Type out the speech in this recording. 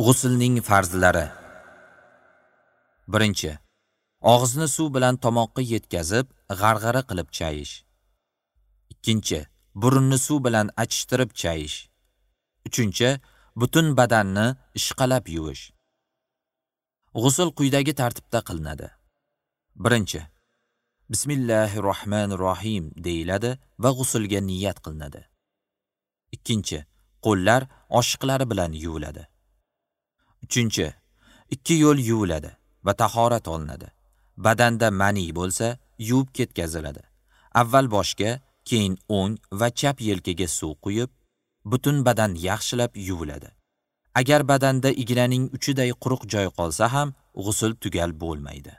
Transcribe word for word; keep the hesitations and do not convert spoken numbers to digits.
G'usulning farzlari. Birinchi, og'izni suv bilan tomoqqa yetkazib, g'arg'ara qilib chayish. Ikkinchi, burunni suv bilan achishtirib chayish. Uchinchi, butun badanni ishqalab yuvish. G'usul quyidagi tartibda qilinadi. Birinchi, Bismillahirrohmanirrohim deyiladi va g'usulga niyat qilinadi. Ikkinchi, qo'llar oshiqlari bilan yuviladi. Uchinchi, ikki yo'l yuviladi va tahorat olinadi. Badanda mani bo'lsa, yuvib ketkaziladi. Avval boshga, keyin o'ng va chap yelkaga suv quyib, butun badan yaxshilab yuviladi. Agar badanda ignaning uchiday quruq joy qolsa ham, g'usul tugal bo'lmaydi.